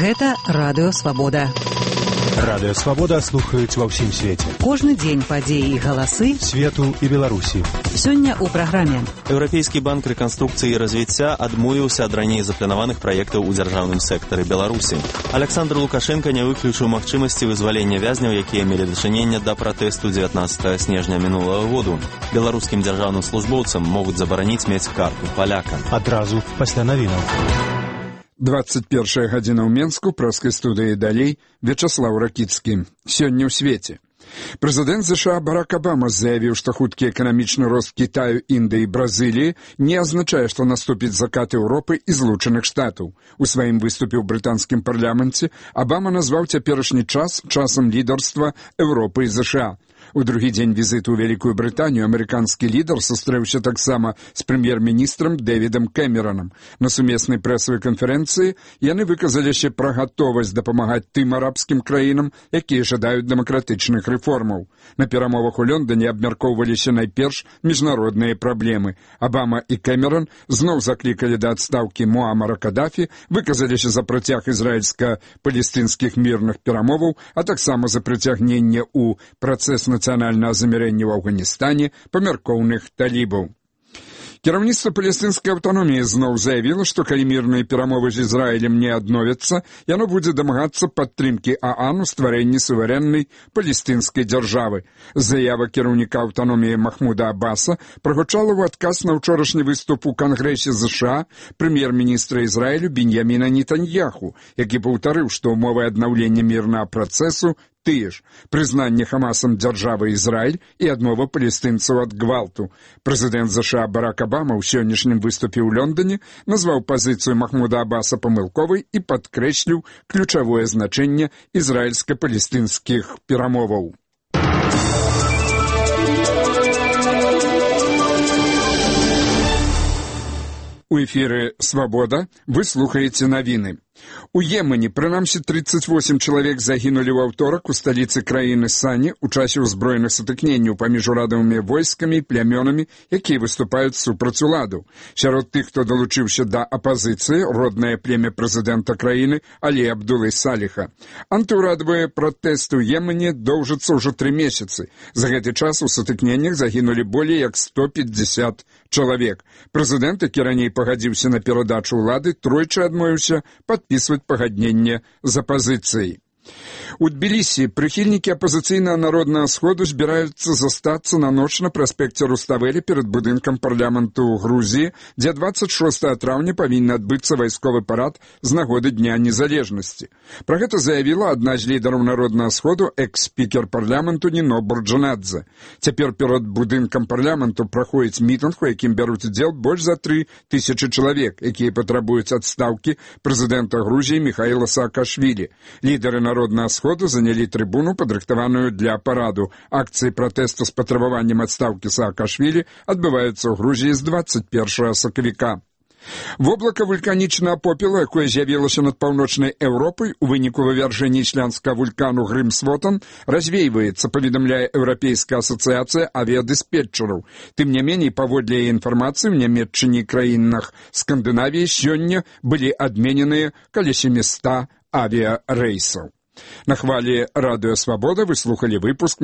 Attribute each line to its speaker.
Speaker 1: Гэта Радыё Свабода.
Speaker 2: Радыё Свабода слухаюць ва ўсім свеце.
Speaker 1: Кожны дзень падзеі і галасы
Speaker 2: свету і Беларусі.
Speaker 1: Сёння ў праграме.
Speaker 3: Еўрапейскі банк рэканструкцыі і развіцця адмовіўся ад раней запланаваных праектаў у дзяржаўным сектары Беларусі. Александр Лукашенко не выключыў магчымасці вызвалення вязняў, якія мелі дачыненне да пратэсту 19 снежня мінулага году. Беларускім дзяржаўным службоўцам могуць забараніць мець карту паляка.
Speaker 2: Адразу пасля навінаў.
Speaker 4: 21 гадзіна ў Менску, праскай студыі далей, Вячаслаў Ракіцкі. Сёння ў свеце. Прэзідэнт США Барак Абама заявіў, што хуткі эканамічны рост Кітаю, Індыі і Бразыліі не азначае, што наступіць закат Еўропы і Злучаных Штатаў. У сваім выступе ў брытанскім парламенце Абама назваў цяперашні час часам лідарства Еўропы і США. У другі дзень візіту ў Вялікую Брытанію амерыканскі лідар сустрэўся таксама з прэм'ер-міністрам Дэвідам Кэмеранам. На сумеснай прэсавай канферэнцыі яны выказаліся пра гатовасць дапамагаць тым арабскім краінам, якія жадаюць дэмакратычных рэформаў. На перамовах у Лондоне абмяркоўваліся найперш міжнародныя праблемы. Абама і Кэмеран зноў заклікалі да адстаўкі Муамара Кадафі, выказаліся за працяг ізраільска-палестынскіх мірных перамоваў, а таксама за прыцягненне ў працэс нацыянальнага замірэння ў Афганістане памяркоўных талібаў. Кіраўніцтва палестынскай аўтаноміі зноў заявіла, што калі мірныя перамовы з Ізраілем не адновяцца, яно будзе дамагацца падтрымкі ААН у стварэнні суверэннай палестынскай дзяржавы. Заява кіраўніка аўтаноміі Махмуда Аббаса прагучала ў адказ на ўчорашні выступ у Кангрэсе США прэм'ер-міністра Ізраілю Беньяміна Нетаньяху, які паўтарыў, што ўмовы аднаўлення мірнага працэсу тыя ж – прызнанне Хамасам дзяржавы Ізраіль і адмова палестынцаў ад гвалту. Прэзідэнт США Барак Абама ў сённяшнім выступе ў Лондоне назваў пазіцыю Махмуда Аббаса памылковай і падкрэсліў ключавое значэнне ізраільска-палестынскіх перамоваў. У эфіры «Свабода» вы слухаеце навіны. У Йемене, прынамсі, 38 чалавек загінулі ў аўторак у сталіцы краіны Сані ў часе ўзброеных сутыкненняў паміж урадавымі войскамі і плямёнамі, якія выступаюць супраць уладу. Сярод тых, хто далучыўся да апазіцыі, роднае племя прэзідэнта краіны Алі Абдулы Саліха. Антыўрадавыя пратэсты ў Йемене доўжацца ўжо 3 месяцы. За гэты час у сутыкненнях загінулі болей як 150 чалавек. Прэзідэнт, які раней пагадзіўся на перадачу ўлады, тройчы адмовіўся падпісваць пагадненне з апазіцыяй. У Тбілісі прыхільнікі апазіцыйнага народнага сходу збіраюцца застацца на ноч на праспекце Руставелі перад будынкам парламенту Грузіі, дзе 26 траўня павінен адбыцца вайсковы парад з нагоды Дня незалежнасці. Пра гэта заявіла адна з лідараў народнага сходу, экс-спікер парламенту Ніно Бурджанадзе. Цяпер перад будынкам парламенту праходзіць мітынг, у якім бяруць удзел больш за 3000 чалавек, якія патрабуюць адстаўкі прэзідэнта Грузіі Міхаіла Саакашвілі. Лідары народнага сходу занялі трыбуну, падрыхтаваную для параду. Акцыі пратэсту з патрабаваннем адстаўкі Саакашвілі адбываюцца ў Грузіі з 21 сакавіка. Воблака вулканічнага попелу, якое з'явілася над паўночнай Еўропай у выніку вывяржэння ісландскага вулкану Грымсвотан, развейваецца, паведамляе Еўрапейская асацыяцыя авіядыспетчараў. Тым не меней, паводле яе інфармацыі, у Нямецчыне і краінах Скандынавіі сёння былі адмененыя каля 700 авіярэйсаў. На хвалі Радыё Свабода вы слухалі выпуск